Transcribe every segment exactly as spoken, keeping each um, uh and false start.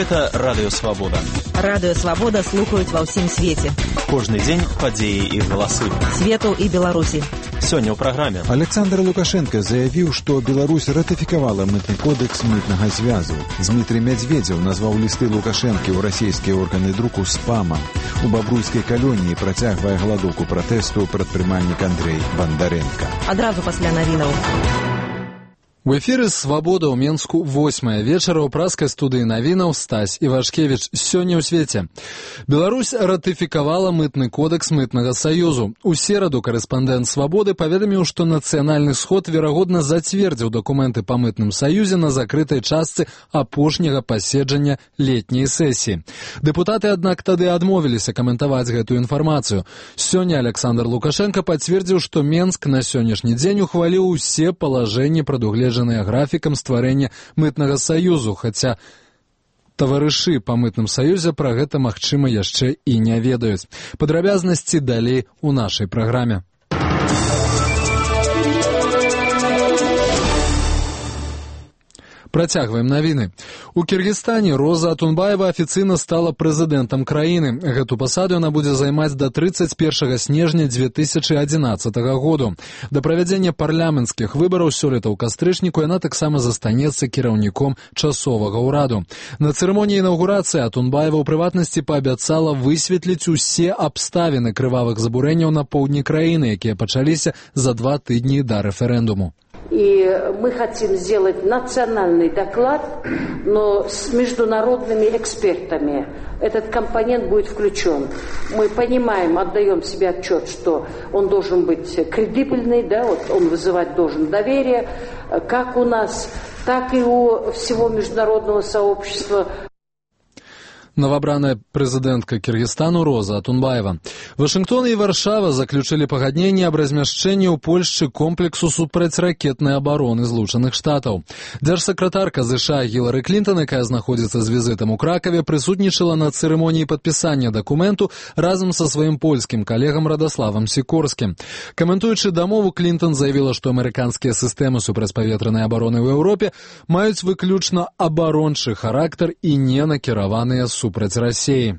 Гэта Радыё Свабода. Радыё Свабода слухаюць ва ўсім свеце. Кожны дзень падзеі і галасы. Свету і Беларусі. Сёння ў праграме. Александр Лукашенко заявіў, што Беларусь ратыфікавала мытны кодэкс мытнага звязу. Дмітрий Медведзев назваў лісты Лукашэнкі ў расійскія органы друку спамам. У бабруйскай калоніі працягвае галадоўку пратэсту прадпрымальнік Андрей Бандаренко. Адразу пасля навінаў. У эфіры «Свабода» ў Менску восьмая вечара ў праскай студыі навінаў Стась Івашкевіч. Сёння ў свеце. Беларусь ратыфікавала мытны кодэкс мытнага саюзу. У сераду карэспандэнт «Свабоды» паведаміў, што нацыянальны сход верагодна зацвердзіў дакументы па мытным саюзе на закрытай частцы апошняга паседжання летняй сесіі. Дэпутаты, аднак, тады адмовіліся каментаваць гэтую інфармацыю. Сёння Александр Лукашенко пацвердзіў, што Менск на сённяшні дзень ухваліў усе палажэнні прадугледжаныя графікам стварэння мытнага саюзу, хаця таварышы па мытным саюзе пра гэта, магчыма, яшчэ і не ведаюць. Падрабязнасці далей у нашай праграме. Працягваем навіны. У Кіргізстане Роза Атунбаева афіцыйна стала прэзідэнтам краіны. Гэту пасаду яна будзе займаць да трыццаць першага снежня дзве тысячы адзінаццатага году. Да правядзення парламенцкіх выбараў сёлета ў кастрычніку яна таксама застанецца кіраўніком часовага ўраду. На цырымоніі інаўгурацыі Атунбаева ў прыватнасці паабяцала высветліць усе абставіны крывавых забурэнняў на поўдні краіны, якія пачаліся за два тыдні да рэферэндуму. И мы хотим сделать национальный доклад, но с международными экспертами. Этот компонент будет включен. Мы понимаем, отдаем себе отчет, что он должен быть кредибельный, да, вот он вызывать должен доверие, как у нас, так и у всего международного сообщества. Новобраная прэзідэнтка Кіргізстану Роза Атунбаева. Вашынгтон і Варшава заключылі пагадненне аб размяшчэнні ў Польшчы комплексу супрацьракетнай абароны Злучаных Штатаў. Дзяржсакратарка ЗША Гілары Клінтон, якая знаходзіцца з візітам у Кракаве, прысутнічала на цырымоніі падпісання дакументу разам са сваім польскім калегам Радаславам Сікорскім. Каментуючы дамову, Клінтон заявіла, што амерыканскія сістэмы супрацьпаветранай абароны ў Еўропе маюць выключна абарончы характар і не накіраваныя супраць супраць Расіі.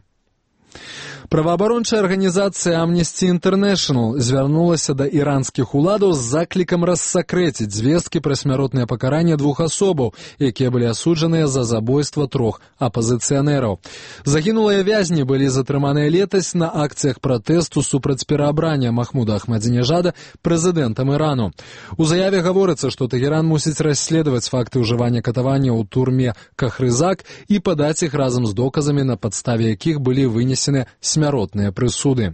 Праваабарончая арганізацыя Amnesty International звярнулася да іранскіх уладаў з заклікам рассакрэціць звесткі пра смяротнае пакаранне двух асобаў, якія былі асуджаныя за забойства трох апазіцыянераў. Загінулыя вязні былі затрыманыя летась на акцыях пратэсту супраць пераабрання Махмуда Ахмадзінежада прэзідэнтам Ірану. У заяве гаворыцца, што Тэгеран мусіць расследаваць факты ўжывання катавання ў турме Кахрызак і падаць іх разам з доказамі, на падставе якіх былі вынесены смяротныя прысуды.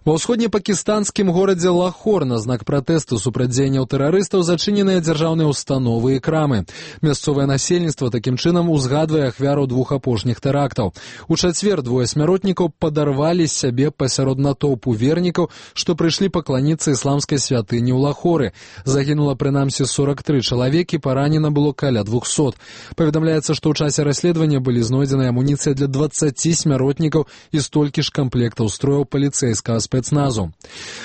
Ва ўсходнепакістанскім горадзе Лахор на знак пратэсту супраць дзеянняў тэрарыстаў зачыненыя дзяржаўныя установы і крамы. Мясцовае насельніцтва такім чынам узгадвае ахвяраў двух апошніх тэрактаў. У чацвер двое смяротнікаў падарвалі сябе пасярод натоўпу вернікаў, што прыйшлі пакланіцца ісламскай святыні ў Лахоры. Загінула прынамсі сорак тры чалавекі, паранена было каля двухсот. Паведамляецца, што ў часе расследавання былі знойдзены амуніцыя для дваццаці смяротнікаў і столькі ж камплектаў строяў паліцэйскага спецназу.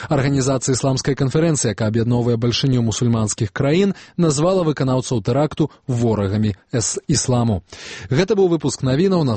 Арганізацыя ісламскай канферэнцыі, якая аб'ядноўвае бальшыню мусульманскіх краін, назвала выканаўцаў тэракту ворагамі ісламу. Гэта быў выпуск навінаў на